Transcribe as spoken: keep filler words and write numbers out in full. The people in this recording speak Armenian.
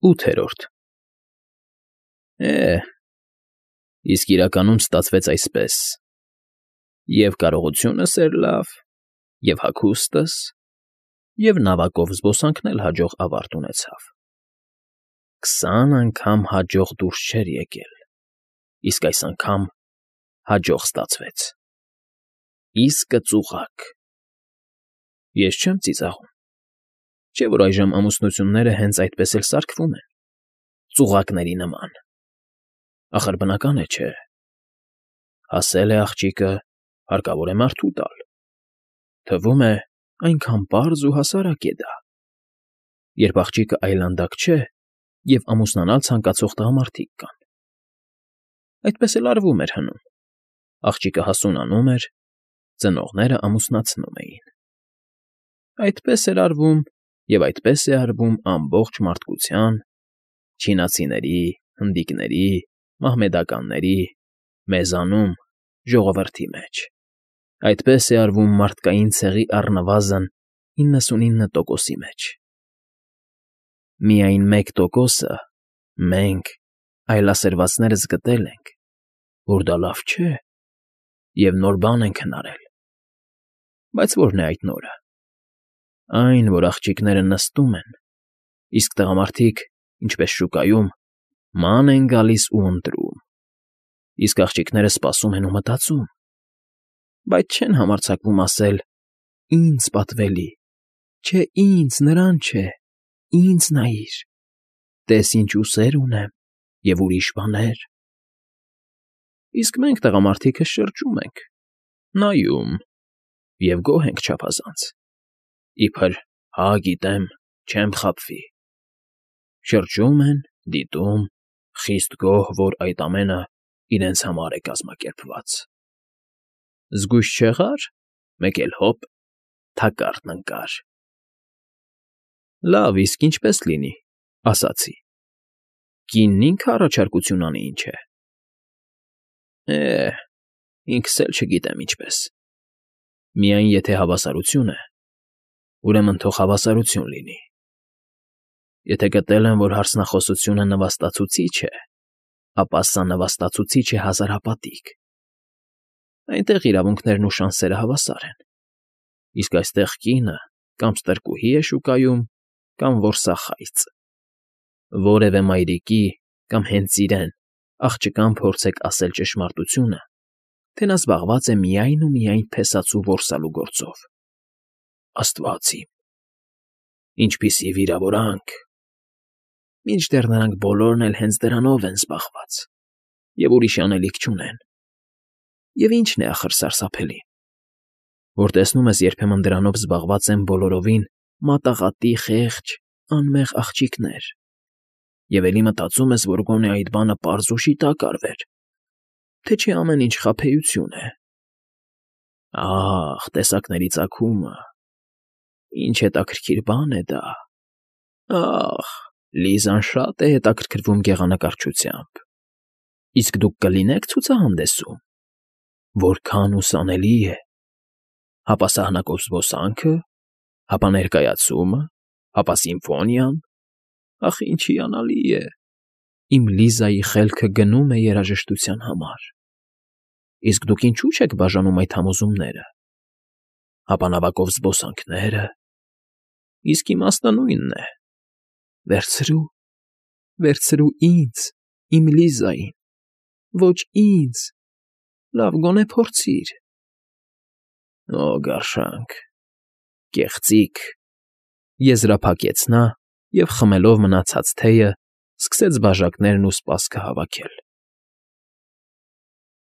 ՈՒԹԵՐՈՐԴ Է, իսկ իրականում ստացվեց այսպես. և կարողությունս էր լավ, և հագուստս, և նավակով զբոսանքն էլ հաջող ավարտ ունեցավ. քսան անգամ հաջող դուրս չէր եկել, իսկ այս անգամ հաջող ստացվեց, իսկը ծուղակ… Ես չեմ ծիծաղում, չէ՞ որ այժմ ամուսնությունները հենց այդպես էլ սարքվում են, ծուղակների նման, ախր բնական է, չէ՞… Հասել է աղջիկը, հարկավոր է մարդու տալ, թվում է, այնքան պարզ ու հասարակ է դա, երբ աղջիկը այլանդակ չէ և ամուսնանալ ցանկացող տղամարդիկ կան… Այդպես էլ արվում էր հնում, աղջիկը հասունանում էր, ծնողներն ամուսնացնում էին… Այդպես էր արվում և այդպես է արվում ամբողջ մարդկության, չինացիների, հնդիկների, մահմեդականների, մեզանում, ժողովրդի մեջ… Այդպես է արվում մարդկային ցեղի առնվազն իննսունինը տոկոսի մեջ… Միայն մեկ տոկոսը մենք, այլասերվածներս գտել ենք, որ դա լավ չէ և նոր բան ենք հնարել… Բայց ո՞րն է այդ նորը… Այն, որ աղջիկները նստում են, իսկ տղամարդիկ, ինչպես շուկայում, ման են գալիս ու ընտրում, իսկ աղջիկները սպասում են ու մտածում, բայց չեն համարձակվում ասել. «Ինձ պատվելի, չէ ինձ, նրան չէ, ինձ նայիր, տես ինչ ուսեր ունեմ և ուրիշ բաներ»… Իսկ մենք, տղամարդիկս, շրջում ենք, նայում և գոհ ենք չափազանց, իբր «հա, գիտեմ, չեմ խաբվի»… Շրջում են, դիտում, խիստ գոհ, որ այդ ամենը իրենց համար է կազմակերպված… Զգույշ չեղա՞ր, մեկ էլ հոպ, թակարդն ընկար… Լավ, իսկ ինչպե՞ս լինի, ասացի… Կինն ինքը առաջարկություն անի, ինչ է… Է, ինքս էլ չգիտեմ ինչպես… Միայն եթե հավասարություն է, ուրեմն թող հավասարություն լինի… Եթե գտել եմ, որ հարսնախոսությունը նվաստացուցիչ է, ապա սա նվաստացուցիչ է հազարապատիկ… Այնտեղ իրավունքներն ու շանսերը հավասար են, իսկ այստեղ կինը կամ ստրկուհի է շուկայում, կամ որսախայծ… Որևէ մայրիկի կամ հենց իրեն աղջկան փորձեք ասել ճշմարտությունը, թե նա զբաղված է միայն ու միայն փեսացու որսալու գործով… Աստվա՜ծ իմ… Ինչպիսի վիրավորանք… Մինչդեռ նրանք բոլորն էլ հենց դրանով են զբաղված և ուրիշ անելիք չունեն… Եվ ի՞նչն է, ախր, սարսափելին… Որ տեսնում ես երբեմն դրանով զբաղված են բոլորովին մատաղատի խեղճ, անմեղ աղջիկներ և էլի մտածում ես, որ գոնե այդ բանը պարզ ու շիտակ արվեր, թե չէ ամեն ինչ խաբեություն է… Ա՜խ, տեսակների ծագումը… Ինչ հետաքրքիր բան է դա… Ա՜խ, Լիզան շատ է հետաքրքրվում գեղանկարչությամբ… Իսկ դուք կլինե՞ք ցուցահանդեսում… Որքա՜ն ուսանելի է… Հապա սահնակով զբոսանքը… Հապա ներկայացումը… Հապա սիմֆոնիան… Ախ, ինչ հիանալի է… Իմ Լիզայի խելքը գնում է երաժշտության համար… Իսկ դուք ինչո՞ւ չեք բաժանում այդ համոզումները… Հապա նավակով զբոսանքները… Իսկ իմաստը նույնն է… Վերցրու, վերցրու ինձ, իմ Լիզային… Ոչ ինձ… Լավ, գոնե փորձիր… Օ, գարշանք… Կեղծիք… եզրափակեց նա և, խմելով մնացած թեյը, սկսեց բաժակներն ու սպասքը հավաքել…